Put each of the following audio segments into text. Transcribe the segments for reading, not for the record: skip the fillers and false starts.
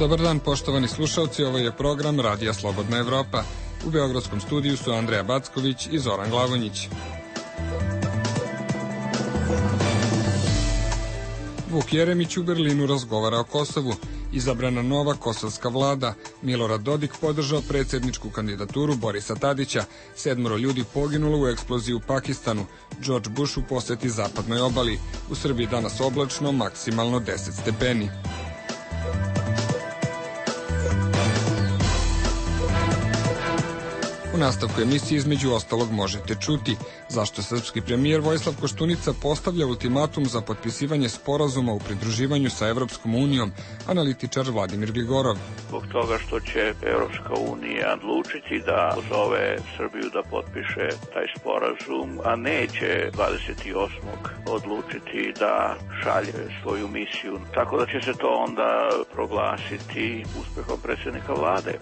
Dobar dan, poštovani slušalci, ovo je program Radija Slobodna Evropa. U beogradskom studiju su Andreja Backović i Zoran Glavonjić. Vuk Jeremić u Berlinu razgovara o Kosovu. Izabrana nova kosovska vlada. Milorad Dodik podržao predsjedničku kandidaturu Borisa Tadića. 7 ljudi poginulo u eksploziji u Pakistanu. George Bush u poseti zapadnoj obali. U Srbiji danas oblačno, maksimalno 10 stepeni. U nastavku emisije između ostalog možete čuti zašto srpski premijer Vojislav Koštunica postavlja ultimatum za potpisivanje sporazuma u pridruživanju sa Evropskom unijom, analitičar Vladimir Gligorov. Zbog toga što će Evropska unija odlučiti da pozove Srbiju da potpiše taj sporazum, a neće 28. odlučiti da šalje svoju misiju. Tako da će se to onda proglasiti uspehom predsjednika vlade.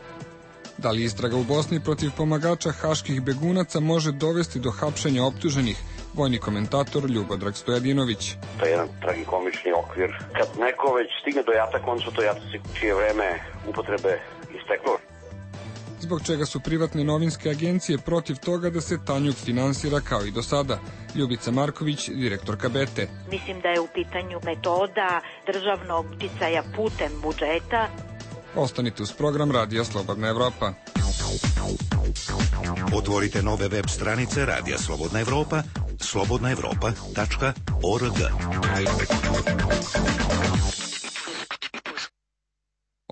Da li istraga u Bosni protiv pomagača haških begunaca može dovesti do hapšenja optuženih? Vojni komentator Ljubodrag Stojadinović. To je jedan tragikomični okvir. Kad neko već stigne do jata, on su to jataci čije vreme upotrebe isteklo. Zbog čega su privatne novinske agencije protiv toga da se Tanjug finansira kao i do sada? Ljubica Marković, direktorka BETE. Mislim da je u pitanju metoda državnog uticaja putem budžeta. Ostanite uz program Radija Slobodna Evropa. Otvorite nove web stranice Radija Slobodna Evropa, slobodnaevropa.org.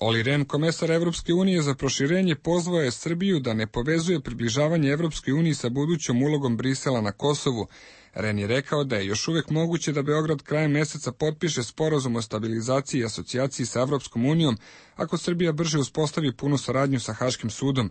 Olli Rehn, komesar Evropske unije za proširenje, pozvao je Srbiju da ne povezuje približavanje Evropskoj uniji sa budućom ulogom Brisela na Kosovu. Rehn je rekao da je još uvek moguće da Beograd krajem meseca potpiše sporazum o stabilizaciji i asocijaciji sa Evropskom unijom ako Srbija brže uspostavi punu saradnju sa Haškim sudom.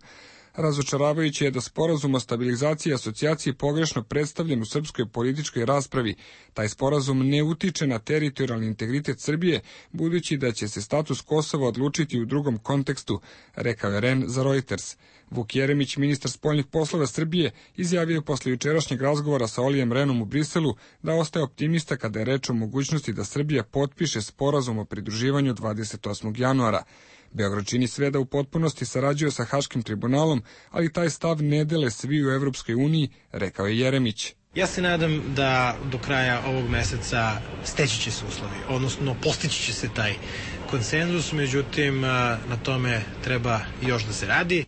Razočaravajuće je da sporazum o stabilizaciji i asocijaciji pogrešno predstavljen u srpskoj političkoj raspravi. Taj sporazum ne utiče na teritorijalni integritet Srbije, budući da će se status Kosova odlučiti u drugom kontekstu, rekao je Rehn za Reuters. Vuk Jeremić, ministar spoljnih poslova Srbije, izjavio je posle jučerašnjeg razgovora sa Ollijem Rehnom u Briselu da ostaje optimista kada je reč o mogućnosti da Srbija potpiše sporazum o pridruživanju 28. januara. Beograd čini sve da u potpunosti sarađuje sa Haškim tribunalom, ali taj stav ne dele svi u Evropskoj uniji, rekao je Jeremić. Ja se nadam da do kraja ovog meseca steći će se uslovi, odnosno postići će se taj konsenzus, međutim na tome treba još da se radi.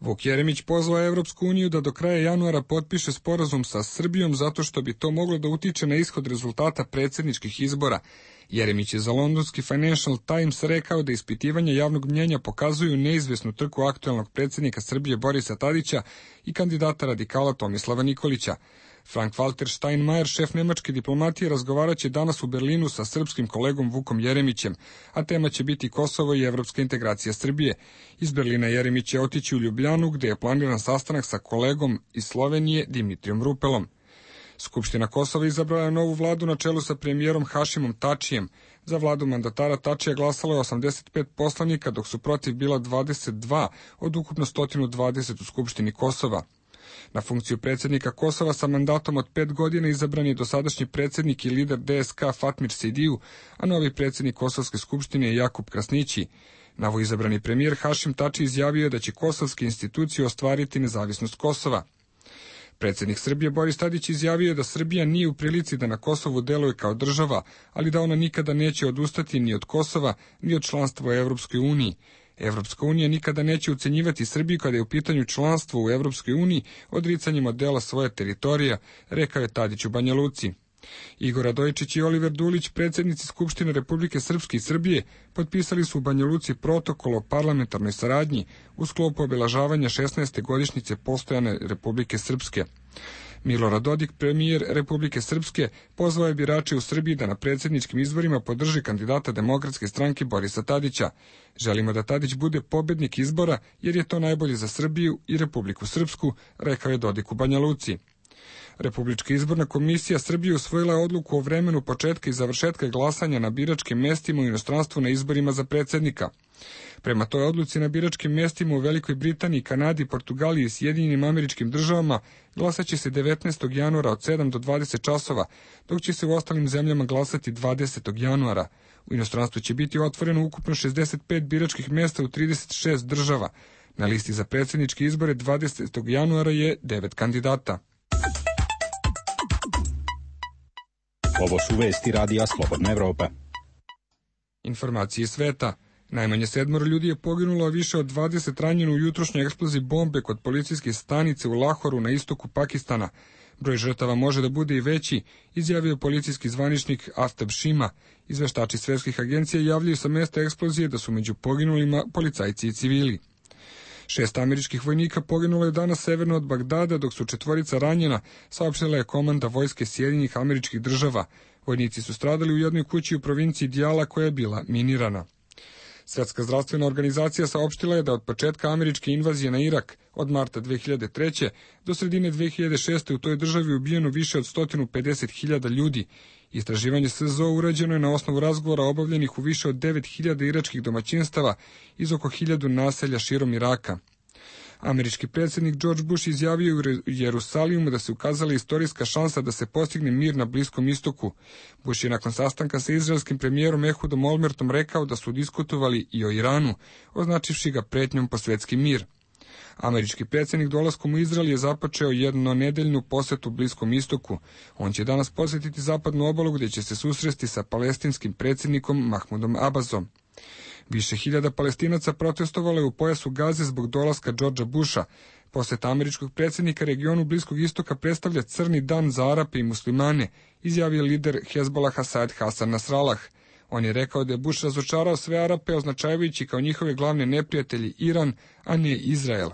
Vuk Jeremić pozvao Evropsku uniju da do kraja januara potpiše sporazum sa Srbijom zato što bi to moglo da utiče na ishod rezultata predsjedničkih izbora. Jeremić je za londonski Financial Times rekao da ispitivanja javnog mnjenja pokazuju neizvesnu trku aktuelnog predsjednika Srbije Borisa Tadića i kandidata radikala Tomislava Nikolića. Frank-Walter Steinmeier, šef nemačke diplomatije, razgovaraće danas u Berlinu sa srpskim kolegom Vukom Jeremićem, a tema će biti Kosovo i evropska integracija Srbije. Iz Berlina Jeremić će otići u Ljubljanu, gde je planiran sastanak sa kolegom iz Slovenije Dimitrijom Rupelom. Skupština Kosova izabrala je novu vladu na čelu sa premijerom Hašimom Tačijem. Za vladu mandatara Tačija glasalo je 85 poslanika, dok su protiv bila 22 od ukupno 120 u Skupštini Kosova. Na funkciju predsjednika Kosova sa mandatom od 5 godina izabran je dosadašnji predsjednik i lider DSK Fatmir Sejdiju, a novi predsjednik Kosovske skupštine je Jakub Krasnići. Novoizabrani premijer Hašim Tači izjavio je da će kosovske institucije ostvariti nezavisnost Kosova. Predsjednik Srbije Boris Tadić izjavio je da Srbija nije u prilici da na Kosovu deluje kao država, ali da ona nikada neće odustati ni od Kosova, ni od članstva u Evropskoj uniji. Evropska unija nikada neće ucenjivati Srbiju kada je u pitanju članstvo u Evropskoj uniji odricanjem od dela svoje teritorija, rekao je Tadić u Banja Luci. Igor Radojičić i Oliver Dulić, predsjednici Skupštine Republike Srpske i Srbije, potpisali su u Banja Luci protokol o parlamentarnoj saradnji u sklopu obeležavanja 16. godišnjice postojane Republike Srpske. Milorad Dodik, premijer Republike Srpske, pozvao je birače u Srbiji da na predsjedničkim izborima podrži kandidata Demokratske stranke Borisa Tadića. Želimo da Tadić bude pobednik izbora jer je to najbolje za Srbiju i Republiku Srpsku, rekao je Dodik u Banja Luci. Republička izborna komisija Srbije usvojila je odluku o vremenu početka i završetka glasanja na biračkim mestima u inostranstvu na izborima za predsjednika. Prema toj odluci na biračkim mestima u Velikoj Britaniji, Kanadi, Portugaliji i Sjedinjenim Američkim Državama glasaće se 19. januara od 7 do 20 časova, dok će se u ostalim zemljama glasati 20. januara. U inostranstvu će biti otvoreno ukupno 65 biračkih mesta u 36 država. Na listi za predsjedničke izbore 20. januara je 9 kandidata. Ovo su vesti Radija Slobodna Evropa. Informacije sveta. Najmanje 7 ljudi je poginulo, a više od 20 ranjeno u jutrošnjoj eksploziji bombe kod policijske stanice u Lahoru na istoku Pakistana. Broj žrtava može da bude i veći, izjavio policijski zvaničnik Aftab Shima. Izveštači svetskih agencija javljaju sa mesta eksplozije da su među poginulima policajci i civili. 6 američkih vojnika poginulo je danas severno od Bagdada, dok su 4 ranjena, saopštila je komanda vojske Sjedinjenih Američkih Država. Vojnici su stradali u jednoj kući u provinciji Dijala koja je bila minirana. Svetska zdravstvena organizacija saopštila je da od početka američke invazije na Irak od marta 2003. do sredine 2006. u toj državi ubijeno više od 150.000 ljudi. Istraživanje SZO urađeno je na osnovu razgovora obavljenih u više od 9.000 iračkih domaćinstava iz oko 1.000 naselja širom Iraka. Američki predsjednik George Bush izjavio u Jerusalimu da se ukazala istorijska šansa da se postigne mir na Bliskom istoku. Bush je nakon sastanka sa izraelskim premijerom Ehudom Olmertom rekao da su diskutovali i o Iranu, označivši ga pretnjom po svetski mir. Američki predsjednik dolaskom u Izrael je započeo jednonedeljnu posetu Bliskom istoku. On će danas posjetiti zapadnu obalu gdje će se susresti sa palestinskim predsjednikom Mahmudom Abbasom. Više hiljada Palestinaca protestovalo je u pojasu Gaze zbog dolaska Georgea Busha. Poseta američkog predsjednika regionu Bliskog istoka predstavlja crni dan za Arape i muslimane, izjavio lider Hezbolaha Saad Hasan Nasrallah. On je rekao da je Bush razočarao sve Arape, označavajući kao njihove glavne neprijatelji Iran, a ne Izrael.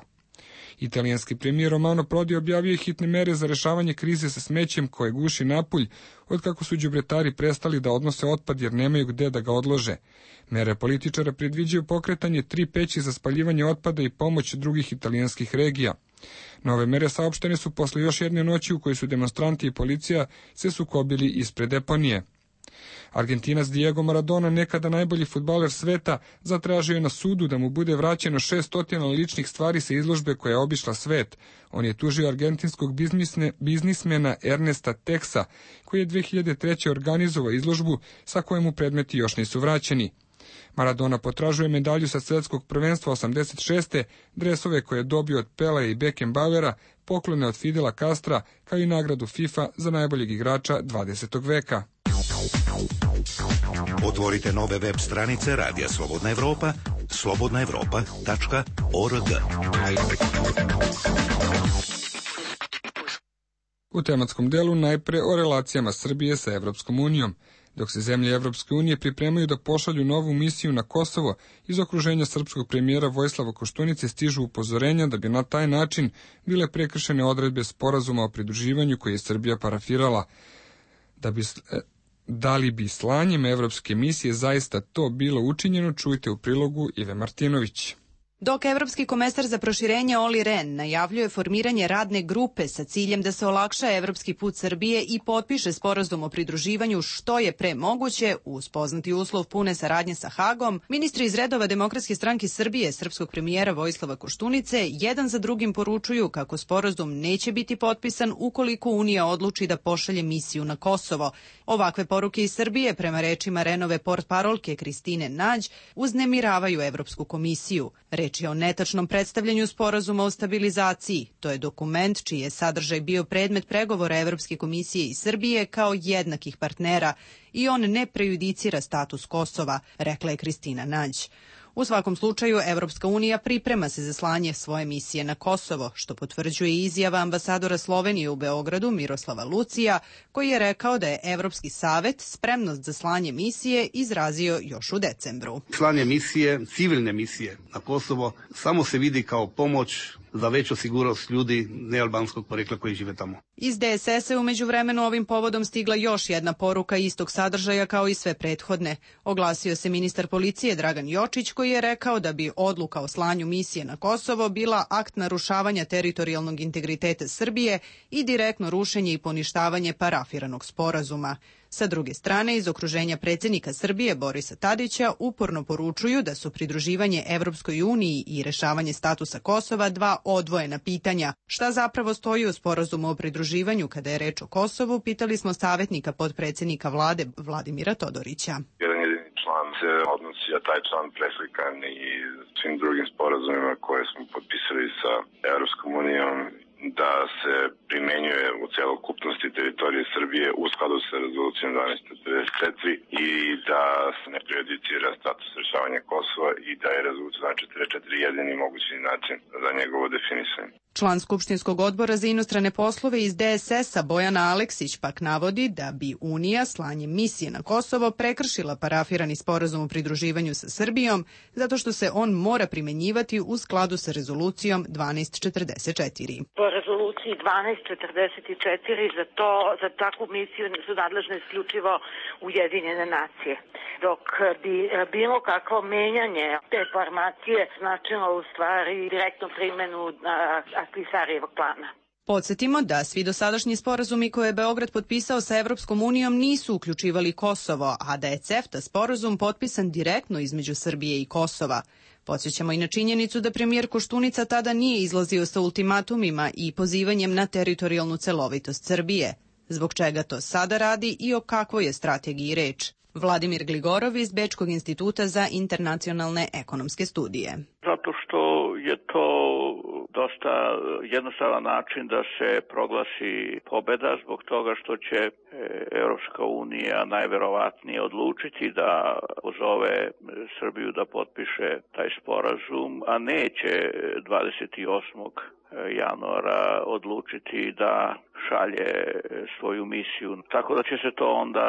Italijanski premijer Romano Prodi objavio je hitne mere za rešavanje krize sa smećem koje guši Napulj, otkako su đubretari prestali da odnose otpad jer nemaju gde da ga odlože. Mere političara predviđaju pokretanje 3 peći za spaljivanje otpada i pomoć drugih italijanskih regija. Nove mere saopštene su posle još jedne noći u kojoj su demonstranti i policija se sukobili ispred deponije. Argentinac Diego Maradona, nekada najbolji fudbaler sveta, zatražio je na sudu da mu bude vraćeno 600 ličnih stvari sa izložbe koja je obišla svet. On je tužio argentinskog biznismena Ernesta Texa, koji je 2003. organizovao izložbu sa kojom mu predmeti još nisu vraćeni. Maradona potražuje medalju sa svetskog prvenstva 86. dresove koje je dobio od Pelea i Beckenbauera, poklone od Fidela Castra, kao i nagradu FIFA za najboljeg igrača 20. veka. Otvorite nove web stranice Radija Slobodna Evropa, slobodnaevropa.org. U tematskom delu najpre o relacijama Srbije sa Evropskom unijom. Dok se zemlje Evropske unije pripremaju da pošalju novu misiju na Kosovo, iz okruženja srpskog premijera Vojislava Koštunice stižu upozorenja da bi na taj način bile prekršene odredbe sporazuma o pridruživanju koje je Srbija parafirala. Da li bi slanjem evropske misije zaista to bilo učinjeno, čujte u prilogu Ive Martinović. Dok evropski komesar za proširenje Olli Rehn najavljuje formiranje radne grupe sa ciljem da se olakša evropski put Srbije i potpiše sporazum o pridruživanju što je pre moguće, uz poznati uslov pune saradnje sa Hagom, ministri iz redova Demokratske stranke Srbije, srpskog premijera Vojislava Koštunice, jedan za drugim poručuju kako sporazum neće biti potpisan ukoliko Unija odluči da pošalje misiju na Kosovo. Ovakve poruke iz Srbije, prema rečima Rehnove portparolke Kristine Nađ, uznemiravaju Evropsku komisiju. Reč je o netačnom predstavljanju sporazuma o stabilizaciji. To je dokument čiji je sadržaj bio predmet pregovora Evropske komisije i Srbije kao jednakih partnera i on ne prejudicira status Kosova, rekla je Kristina Nađ. U svakom slučaju, Evropska unija priprema se za slanje svoje misije na Kosovo, što potvrđuje izjava ambasadora Slovenije u Beogradu Miroslava Lucija, koji je rekao da je Evropski savet spremnost za slanje misije izrazio još u decembru. Slanje misije, civilne misije na Kosovo, samo se vidi kao pomoć za veću sigurnost ljudi nealbanskog porekla koji žive tamo. Iz DSS-a je u međuvremenu ovim povodom stigla još jedna poruka istog sadržaja kao i sve prethodne. Oglasio se ministar policije Dragan Jočić, koji je rekao da bi odluka o slanju misije na Kosovo bila akt narušavanja teritorijalnog integriteta Srbije i direktno rušenje i poništavanje parafiranog sporazuma. Sa druge strane, iz okruženja predsjednika Srbije Borisa Tadića uporno poručuju da su pridruživanje Evropskoj uniji i rešavanje statusa Kosova dva odvojena pitanja. Šta zapravo stoji u sporazumu o pridruživanju kada je reč o Kosovu, pitali smo savjetnika potpredsjednika vlade Vladimira Todorića. Jedan jedini član se odnosi, a taj član preslikan i svim drugim sporazumima koje smo potpisali sa Evropskom unijom, da se primenjuje u celokupnosti teritorije Srbije u skladu sa rezolucijom 1244 i da se ne prejudicira status rešavanja Kosova i da je rezolucija 1244 jedini mogući način za njegovo definisanje. Član Skupštinskog odbora za inostrane poslove iz DSS-a Bojana Aleksić pak navodi da bi Unija slanjem misije na Kosovo prekršila parafirani sporazum o pridruživanju sa Srbijom zato što se on mora primenjivati u skladu sa rezolucijom 1244. Po rezoluciji 1244 za takvu misiju su nadležne isključivo Ujedinjene nacije. Dok bi bilo kakvo menjanje te formacije značilo u stvari direktnu primjenu Ahtisarijevog plana. Podsjetimo da svi dosadašnji sporazumi koje je Beograd potpisao sa Evropskom unijom nisu uključivali Kosovo, a da je CEFTA sporazum potpisan direktno između Srbije i Kosova. Podsjećamo i na činjenicu da premijer Koštunica tada nije izlazio sa ultimatumima i pozivanjem na teritorijalnu celovitost Srbije. Zbog čega to sada radi i o kakvoj je strategiji reč? Vladimir Gligorov iz Bečkog instituta za internacionalne ekonomske studije. Zato što je to dosta jednostavan način da se proglasi pobeda zbog toga što će Evropska unija najverovatnije odlučiti da pozove Srbiju da potpiše taj sporazum, a neće 28. januara odlučiti da šalje svoju misiju. Tako da će se to onda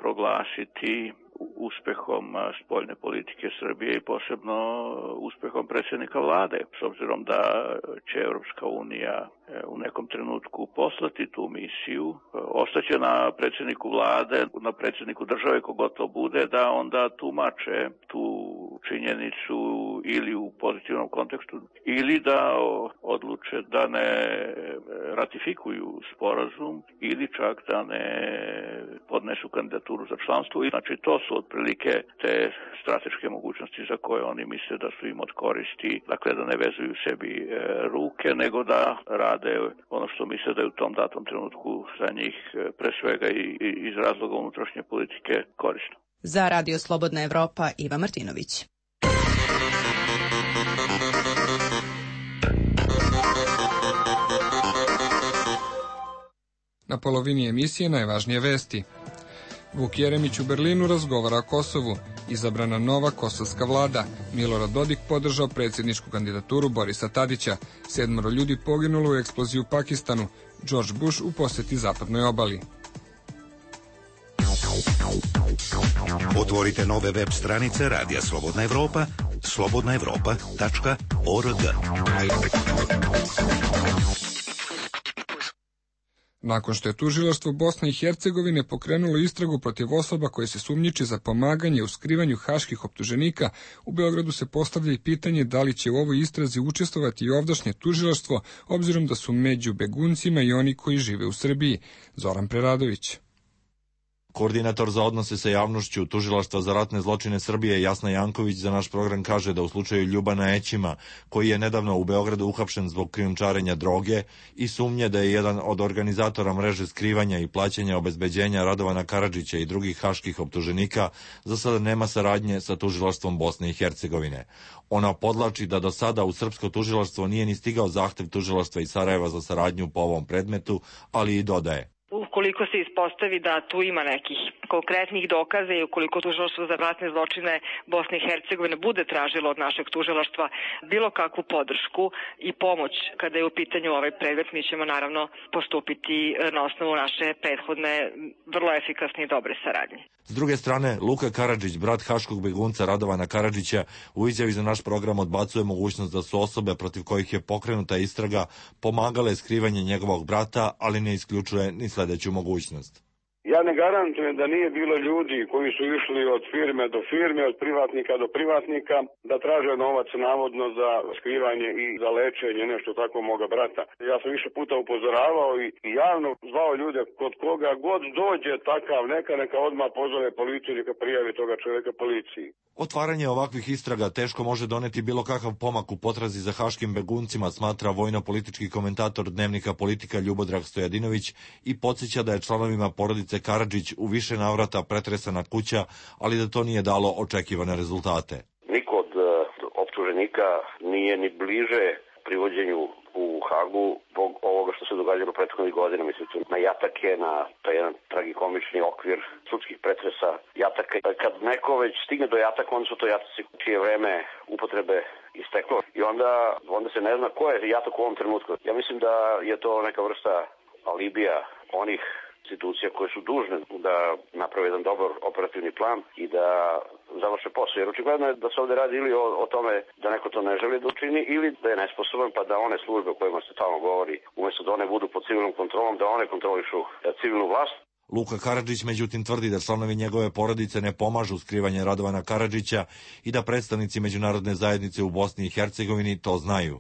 proglasiti uspehom spoljne politike Srbije i posebno uspehom predsjednika vlade. S obzirom da će Evropska unija u nekom trenutku poslati tu misiju, ostaće na predsjedniku vlade, na predsjedniku države kogod to bude, da onda tumače tu činjenicu ili u pozitivnom kontekstu ili da odluče da ne ratifikuju sporazum ili čak da ne podnesu kandidaturu za članstvo. Znači to su otprilike te strateške mogućnosti za koje oni misle da su im od koristi, dakle da ne vezuju sebi ruke, nego da rade ono što misle da je u tom datom trenutku za njih pre svega i iz razloga unutrašnje politike korisno. Za Radio Slobodna Evropa, Iva Martinović. Na polovini emisije najvažnije vesti. Vuk Jeremić u Berlinu razgovara o Kosovu. Izabrana nova kosovska vlada. Milorad Dodik podržao predsjedničku kandidaturu Borisa Tadića. 7 ljudi poginulo u eksploziji u Pakistanu. George Bush u posjeti zapadnoj obali. Otvorite nove web stranice Radija Slobodna Evropa, slobodnaevropa.org. Nakon što je tužilaštvo Bosne i Hercegovine pokrenulo istragu protiv osoba koje se sumnjiče za pomaganje u skrivanju haških optuženika, u Beogradu se postavlja i pitanje da li će u ovoj istrazi učestvovati i ovdašnje tužilaštvo, obzirom da su među beguncima i oni koji žive u Srbiji. Zoran Preradović. Koordinator za odnose sa javnošću Tužilaštva za ratne zločine Srbije Jasna Janković za naš program kaže da u slučaju Ljubana Ećima, koji je nedavno u Beogradu uhapšen zbog krijumčarenja droge i sumnje da je jedan od organizatora mreže skrivanja i plaćanja obezbeđenja Radovana Karadžića i drugih haških optuženika, za sada nema saradnje sa Tužilaštvom Bosne i Hercegovine. Ona podlači da do sada u srpsko tužilaštvo nije ni stigao zahtev Tužilaštva iz Sarajeva za saradnju po ovom predmetu, ali i dodaje: ukoliko se ispostavi da tu ima nekih konkretnih dokaza i ukoliko tužilaštvo za ratne zločine Bosne i Hercegovine bude tražilo od našeg tužilaštva bilo kakvu podršku i pomoć kada je u pitanju ovaj predmet, mi ćemo naravno postupiti na osnovu naše prethodne vrlo efikasne i dobre saradnje. S druge strane, Luka Karadžić, brat haškog begunca Radovana Karadžića, u izjavi za naš program odbacuje mogućnost da su osobe protiv kojih je pokrenuta istraga pomagale skrivanje njegovog brata, ali ne isključuje ni sledeću mogućnost. Ja ne garantujem da nije bilo ljudi koji su išli od firme do firme, od privatnika do privatnika, da traže novac navodno za skrivanje i za lečenje, nešto tako moga brata. Ja sam više puta upozoravao i javno zvao ljude kod koga god dođe takav, neka odmah pozove policiju, neka prijavi toga čovjeka policiji. Otvaranje ovakvih istraga teško može doneti bilo kakav pomak u potrazi za haškim beguncima, smatra vojno-politički komentator Dnevnika Politika Ljubodrag Stojadinović i podsjeća da je članovima porodice Karadžić u više navrata pretresana kuća, ali da to nije dalo očekivane rezultate. Niko od optuženika nije ni bliže privođenju u Hagu zbog ovoga što se događalo prethodnih godina, mislim na jatake, na taj jedan tragikomični okvir sudskih pretresa jataka. Kad neko već stigne do jataka, onda su to jataci čije vreme upotrebe isteklo i onda se ne zna ko je jatak u ovom trenutku. Ja mislim da je to neka vrsta alibija onih institucija koje su dužne da naprave jedan dobar operativni plan i da završe posao. Jer očigledno je da se ovde radi ili o tome da neko to ne želi da učini ili da je nesposoban, pa da one službe o kojima se tamo govori, umjesto da one budu pod civilnom kontrolom, da one kontrolišu civilnu vlast. Luka Karadžić međutim tvrdi da članovi njegove porodice ne pomažu skrivanje Radovana Karadžića i da predstavnici međunarodne zajednice u Bosni i Hercegovini to znaju.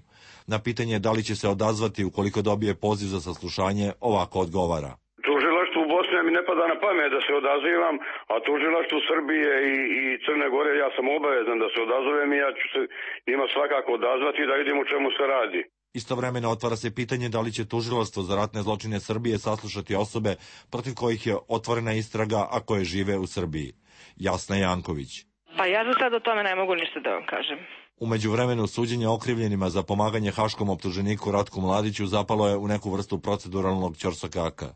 Na pitanje da li će se odazvati ukoliko dobije poziv za saslušanje, ovako odgovara. Tužilaštvu u Bosni mi ne pada na pamet da se odazivam, a tužilaštvu Srbije i Crne Gore ja sam obavezan da se odazovem i ja ću se njima svakako odazvati da vidim o čemu se radi. Istovremeno otvara se pitanje da li će tužilaštvo za ratne zločine Srbije saslušati osobe protiv kojih je otvorena istraga, a koje žive u Srbiji. Jasna Janković. Pa ja za sad o tome ne mogu ništa da vam kažem. U međuvremenu suđenje okrivljenima za pomaganje haškom optuženiku Ratku Mladiću zapalo je u neku vrstu proceduralnog ćorsokaka.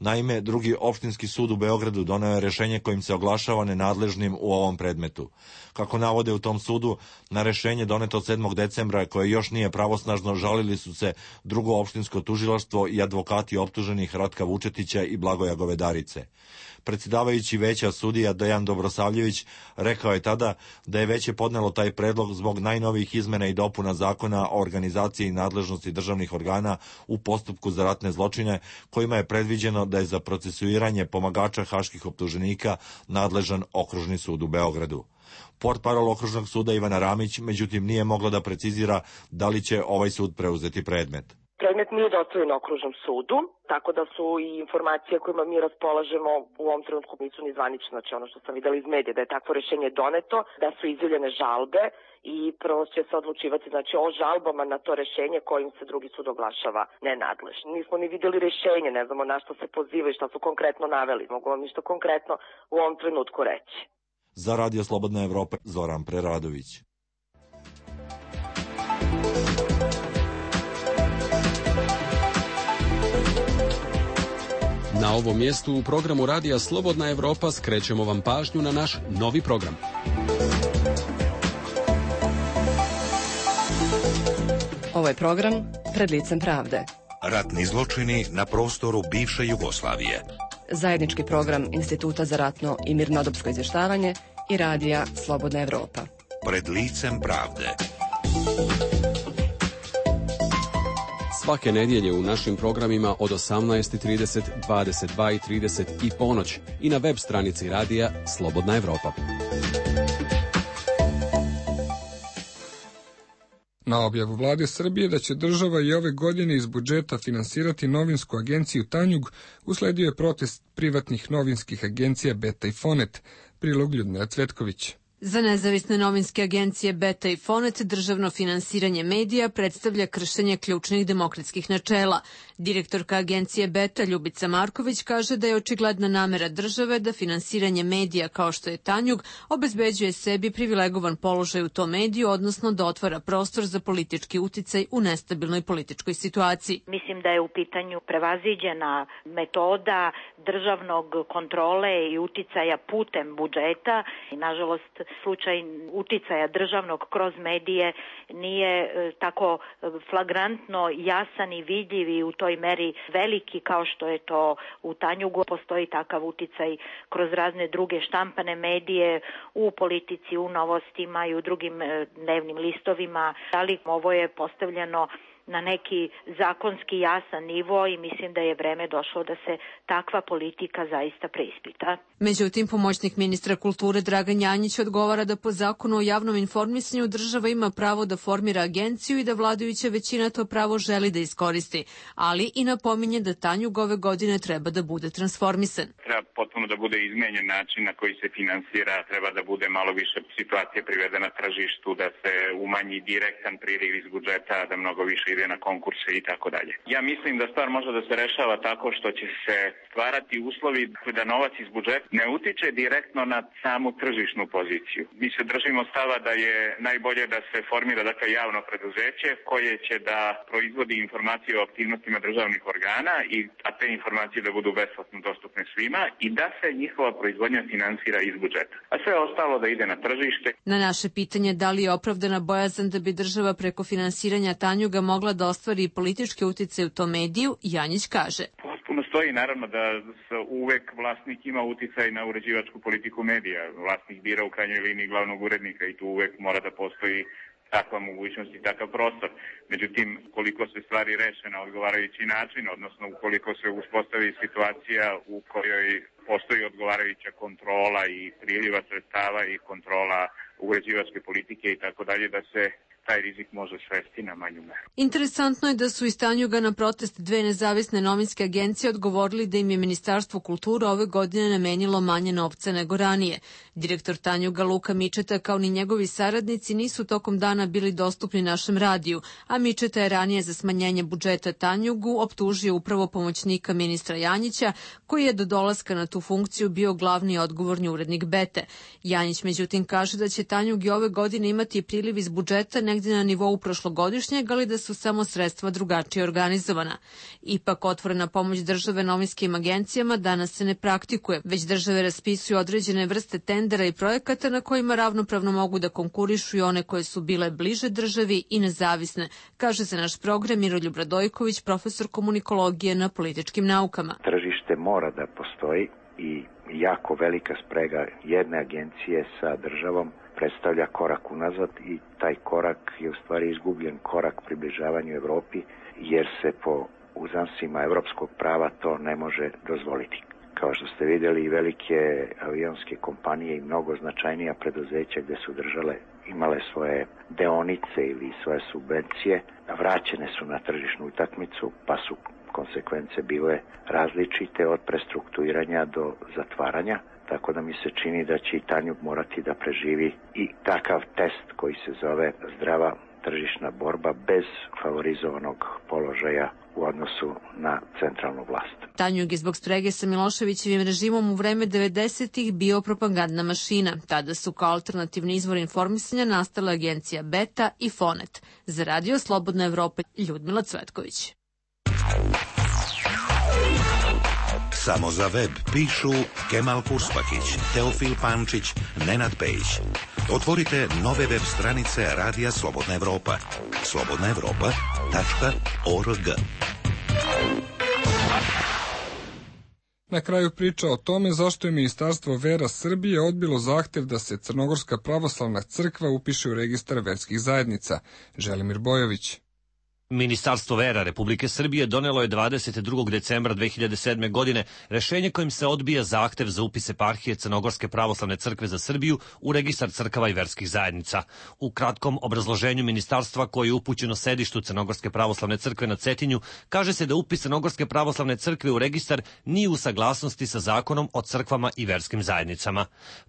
Naime, drugi opštinski sud u Beogradu doneo je rešenje kojim se oglašava nenadležnim u ovom predmetu. Kako navode u tom sudu, na rešenje doneto 7. decembra, koje još nije pravosnažno, žalili su se drugo opštinsko tužilaštvo i advokati optuženih Ratka Vučetića i Blagoja Govedarice. Predsjedavajući veća sudija Dejan Dobrosavljević rekao je tada da je veće podnelo taj predlog zbog najnovijih izmena i dopuna zakona o organizaciji i nadležnosti državnih organa u postupku za ratne zločine, kojima je predviđeno da je za procesuiranje pomagača haških optuženika nadležan Okružni sud u Beogradu. Portparol Okružnog suda Ivana Ramić međutim nije mogla da precizira da li će ovaj sud preuzeti predmet. Predmet nije dostavljen Okružnom sudu, tako da su i informacije kojima mi raspolažemo u ovom trenutku nisu ni zvanične. Znači ono što sam videla iz medija, da je takvo rešenje doneto, da su izjavljene žalbe i prvo će se odlučivati o žalbama na to rešenje kojim se drugi sud oglašava nenadležnim. Nismo ni videli rešenje, ne znamo na što se poziva i šta su konkretno naveli. Mogu vam ništa konkretno u ovom trenutku reći. Za Radio Slobodna Evropa, Zoran Preradović. Na ovom mjestu u programu Radija Slobodna Evropa skrećemo vam pažnju na naš novi program. Ovo je program Pred licem pravde. Ratni zločini na prostoru bivše Jugoslavije. Zajednički program Instituta za ratno i mirnodopsko izvještavanje i Radija Slobodna Evropa. Pred licem pravde. Svake nedjelje u našim programima od 18:30, 22:30 i ponoć i na web stranici Radija Slobodna Evropa. Na objavu vlade Srbije da će država i ove godine iz budžeta finansirati novinsku agenciju Tanjug, usledio je protest privatnih novinskih agencija Beta i Fonet. Prilog Ljudmila Cvetković. Za nezavisne novinske agencije Beta i Fonet državno finansiranje medija predstavlja kršenje ključnih demokratskih načela. Direktorka agencije Beta Ljubica Marković kaže da je očigledna namera države da finansiranje medija kao što je Tanjug obezbeđuje sebi privilegovan položaj u tom mediju, odnosno da otvara prostor za politički uticaj u nestabilnoj političkoj situaciji. Mislim da je u pitanju prevaziđena metoda državnog kontrole i uticaja putem budžeta i nažalost slučaj uticaja državnog kroz medije nije tako flagrantno jasan i vidljiv i u toj meri veliki kao što je to u Tanjugu. Postoji takav uticaj kroz razne druge štampane medije u politici, u novostima i u drugim dnevnim listovima, ali ovo je postavljeno na neki zakonski jasan nivo i mislim da je vreme došlo da se takva politika zaista preispita. Međutim, pomoćnik ministra kulture Dragan Janjić odgovara da po zakonu o javnom informisanju država ima pravo da formira agenciju i da vladajuća većina to pravo želi da iskoristi, ali i napominje da Tanjug ove godine treba da bude transformisan. Treba potpuno da bude izmenjen način na koji se finansira, treba da bude malo više situacije privedena tržištu, da se umanji direktan priliv iz budžeta, da mnogo više ide na konkurse i tako dalje. Ja mislim da stvar može da se rešava tako što će se stvarati uslovi da novac iz budžeta ne utiče direktno na samu tržišnu poziciju. Mi se držimo stava da je najbolje da se formira javno preduzeće koje će da proizvodi informacije o aktivnostima državnih organa a te informacije da budu besplatno dostupne svima i da se njihova proizvodnja finansira iz budžeta. A sve ostalo da ide na tržište. Na naše pitanje da li je opravdana bojazan da bi država preko finansiranja Tanjuga mogla da ostvari politički uticaj u tom mediju, Janjić kaže. Potpuno stoji naravno da uvek vlasnik ima uticaj na uređivačku politiku medija. Vlasnik bira u krajnjoj liniji glavnog urednika i tu uvek mora da postoji takva mogućnost i takav prostor. Međutim, koliko se stvari reše na odgovarajući način, odnosno ukoliko se uspostavi situacija u kojoj postoji odgovarajuća kontrola i priliva sredstava i kontrola uređivačke politike i tako dalje, da se taj rizik može svesti na manju meru. Interesantno je da su iz Tanjuga na protest dve nezavisne novinske agencije odgovorili da im je Ministarstvo kulture ove godine namenilo manje novca nego ranije. Direktor Tanjuga Luka Mičeta kao ni njegovi saradnici nisu tokom dana bili dostupni našem radiju, a Mičeta je ranije za smanjenje budžeta Tanjugu optužio upravo pomoćnika ministra Janjića, koji je do dolaska na tu funkciju bio glavni odgovorni urednik Bete. Janjić međutim kaže da će Tanjug i ove godine imati priliv iz budžeta negdje na nivou prošlogodišnjeg, ali da su samo sredstva drugačije organizovana. Ipak otvorena pomoć države novinskim agencijama danas se ne praktikuje, već države raspisuju određene vrste tendera i projekata na kojima ravnopravno mogu da konkurišu i one koje su bile bliže državi i nezavisne, kaže za naš program Miroljub Radojković, profesor komunikologije na političkim naukama. Tržište mora da postoji i jako velika sprega jedne agencije sa državom predstavlja korak unazad i taj korak je u stvari izgubljen korak približavanju Evropi, jer se po uzansima evropskog prava to ne može dozvoliti. Kao što ste vidjeli, velike avionske kompanije i mnogo značajnija preduzeća gde su države imale svoje deonice ili svoje subvencije, vraćene su na tržišnu utakmicu, pa su konsekvence bile različite od prestrukturiranja do zatvaranja. Tako da mi se čini da će i Tanjug morati da preživi i takav test koji se zove zdrava tržišna borba bez favorizovanog položaja u odnosu na centralnu vlast. Tanjug je zbog sprege sa Miloševićevim režimom u vreme 90-ih bio propagandna mašina. Tada su kao alternativni izvor informisanja nastala agencija Beta i Fonet. Za Radio Slobodna Evropa, Ljudmila Cvetković. Samo za web pišu Kemal Kurspakić, Teofil Pančić, Nenad Pejić. Otvorite nove web stranice Radija Slobodna Evropa. slobodnaevropa.org. Na kraju priča o tome zašto je Ministarstvo vera Srbije odbilo zahtev da se Crnogorska pravoslavna crkva upiše u registar verskih zajednica. Želimir Bojović. Ministarstvo vera Republike Srbije donelo je 22. decembra 2007. godine rešenje kojim se odbija zahtev za upis eparhije Crnogorske pravoslavne crkve za Srbiju u registar crkava i verskih zajednica. U kratkom obrazloženju ministarstva koje je upućeno sedištu Crnogorske pravoslavne crkve na Cetinju, kaže se da upis Crnogorske pravoslavne crkve u registar nije u saglasnosti sa zakonom o crkvama i verskim zajednicama.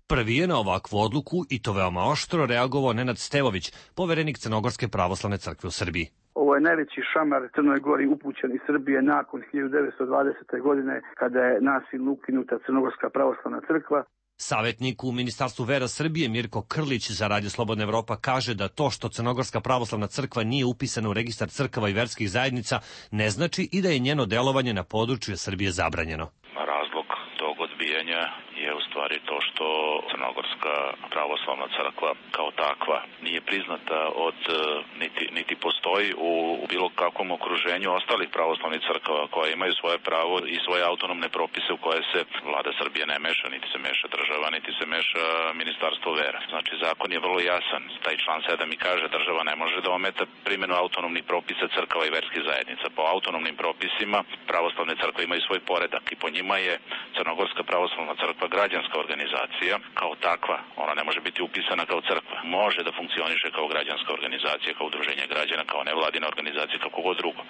Prvi je na ovakvu odluku, i to veoma oštro, reagovao Nenad Stevović, poverenik Crnogorske pravoslavne crkve u Srbiji. Ovo je najveći šamar Crnoj Gori upućen iz Srbije nakon 1920. godine kada je nasilno ukinuta Crnogorska pravoslavna crkva. Savetnik u Ministarstvu vera Srbije Mirko Krlić za Radio Slobodna Evropa kaže da to što Crnogorska pravoslavna crkva nije upisana u registar crkava i verskih zajednica ne znači i da je njeno delovanje na području Srbije zabranjeno. Razlog tog odbijanja odbijanja je u stvari to što Crnogorska pravoslavna crkva kao takva nije priznata od niti postoji u bilo kakvom okruženju ostalih pravoslavnih crkava koje imaju svoje pravo i svoje autonomne propise u koje se vlada Srbije ne meša, niti se meša država, niti se meša ministarstvo vera. Znači zakon je vrlo jasan. Taj član 7 i kaže država ne može da ometa primjenu autonomnih propisa crkava i verskih zajednica. Po autonomnim propisima pravoslavne crkve imaju svoj poredak i po njima je Crnogorska pravoslavna crkva građanska organizacija kao takva. Ona ne može biti upisana kao crkva. Može da funkcioniše kao građanska organizacija, kao udruženje građana, kao nevladina organizacija, kako god drugo.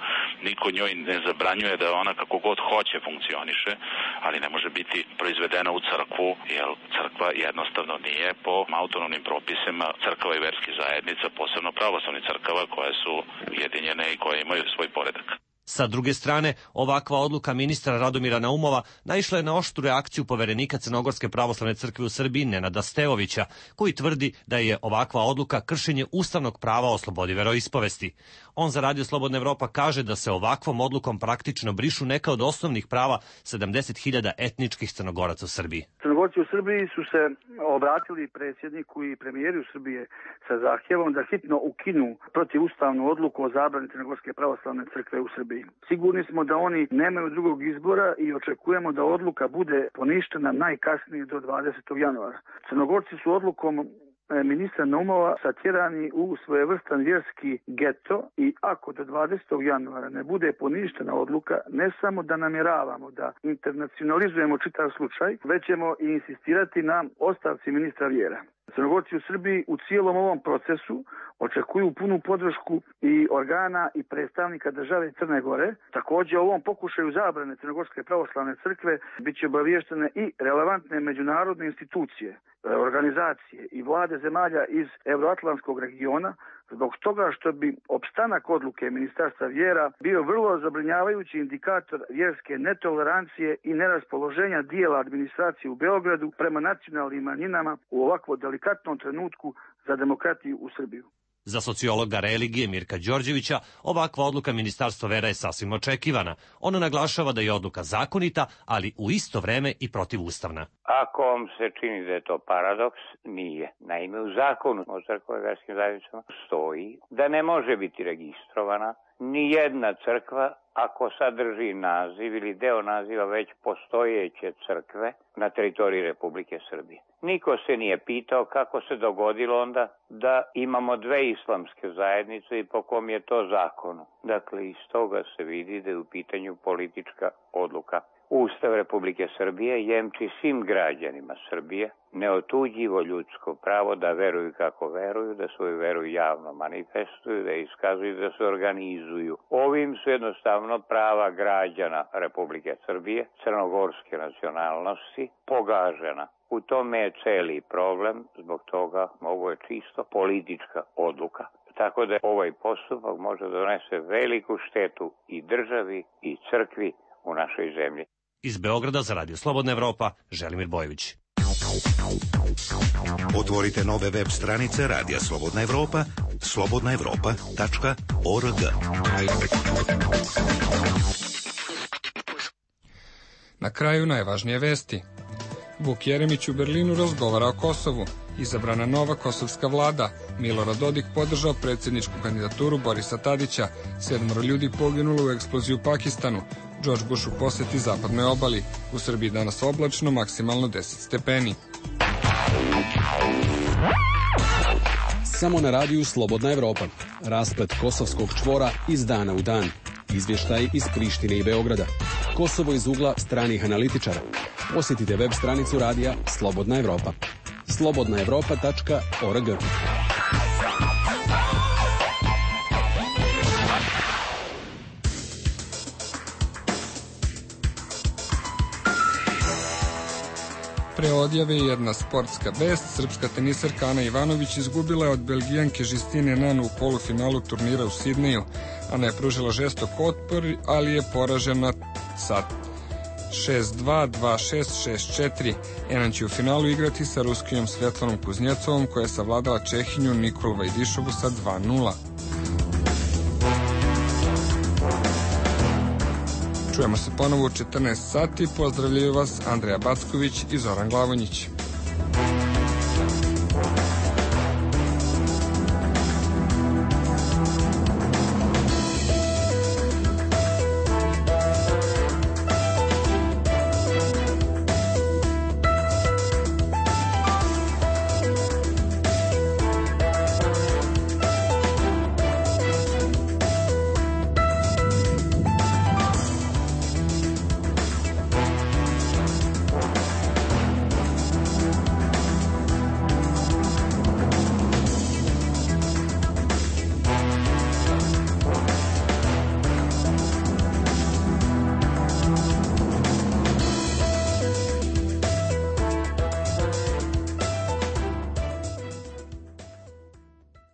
Niko njoj ne zabranjuje da ona kako god hoće funkcioniše, ali ne može biti proizvedena u crkvu, jer crkva jednostavno nije po autonomnim propisima crkava i verskih zajednica, posebno pravoslavnih crkava koje su ujedinjene i koje imaju svoj poredak. Sa druge strane, ovakva odluka ministra Radomira Naumova naišla je na oštru reakciju poverenika Crnogorske pravoslavne crkve u Srbiji Nenada Stevovića, koji tvrdi da je ovakva odluka kršenje ustavnog prava o slobodi veroispovesti. On za Radio Slobodna Evropa kaže da se ovakvom odlukom praktično brišu neka od osnovnih prava 70.000 etničkih Crnogoraca u Srbiji. Crnogorci u Srbiji su se obratili predsjedniku i premijeru Srbije sa zahtjevom da hitno ukinu protivustavnu odluku o zabrani Crnogorske pravoslavne crkve u Srbiji. Sigurni smo da oni nemaju drugog izbora i očekujemo da odluka bude poništena najkasnije do 20. januara. Crnogorci su odlukom ministra Naumova satjerani u svojevrstan vjerski geto i ako do 20. januara ne bude poništena odluka, ne samo da namjeravamo da internacionalizujemo čitav slučaj, već ćemo i insistirati na ostavci ministra vjera. Crnogorci u Srbiji u cijelom ovom procesu očekuju punu podršku i organa i predstavnika države Crne Gore. Također u ovom pokušaju zabrane Crnogorske pravoslavne crkve bit će obaviještene i relevantne međunarodne institucije, organizacije i vlade zemalja iz Euroatlantskog regiona, zbog toga što bi opstanak odluke Ministarstva vjera bio vrlo zabrinjavajući indikator vjerske netolerancije i neraspoloženja dijela administracije u Beogradu prema nacionalnim manjinama u ovakvo delikatnom trenutku za demokratiju u Srbiju. Za sociologa religije Mirka Đorđevića ovakva odluka Ministarstva vera je sasvim očekivana. Ona naglašava da je odluka zakonita, ali u isto vreme i protivustavna. Ako vam se čini da je to paradoks, nije. Naime, u zakonu o crkvama i verskim zajednicama stoji da ne može biti registrovana ni jedna crkva ako sadrži naziv ili deo naziva već postojeće crkve na teritoriji Republike Srbije. Niko se nije pitao kako se dogodilo onda da imamo dve islamske zajednice i po kom je to zakonu. Dakle, iz toga se vidi da je u pitanju politička odluka. Ustav Republike Srbije jemči svim građanima Srbije neotuđivo ljudsko pravo da veruju kako veruju, da svoju veru javno manifestuju, da iskazuju, da se organizuju. Ovim su jednostavno prava građana Republike Srbije, crnogorske nacionalnosti, pogažena. U tome je celi problem, zbog toga ovo je čisto politička odluka. Tako da ovaj postupak može donese veliku štetu i državi i crkvi u našoj zemlji. Iz Beograda za Radio Slobodna Evropa, Želimir Bojović. Otvorite nove web stranice Radija Slobodna Evropa, slobodnaevropa.org. Na kraju najvažnije vesti. Vuk Jeremić u Berlinu razgovara o Kosovu. Izabrana nova kosovska vlada. Milorad Dodik podržao predsjedničku kandidaturu Borisa Tadića. 7 ljudi poginulo u eksploziji u Pakistanu. George Bush u poseti zapadnoj obali. U Srbiji danas oblačno, maksimalno 10 stepeni. Samo na radiju Slobodna Evropa. Rasplet kosovskog čvora iz dana u dan. Izvještaj iz Prištine i Beograda. Kosovo iz ugla stranih analitičara. Posjetite web stranicu radija Slobodna Evropa. slobodnaevropa.org. Pre odjave jedna sportska vest. Srpska tenisarka Ana Ivanović izgubila je od Belgijanke Justine Nanu u polufinalu turnira u Sidneju. Ana je pružila žestok otpor, ali je poražena sa 6-2, 2-6, 6-4. Enan će u finalu igrati sa Ruskinjom Svjetlanom Kuznjecovom, koja je savladala Čehinju Nikolu Vajdišovu sa 2-0. Čujemo se ponovo u 14 sati. Pozdravljaju vas Andreja Backović i Zoran Glavonjić.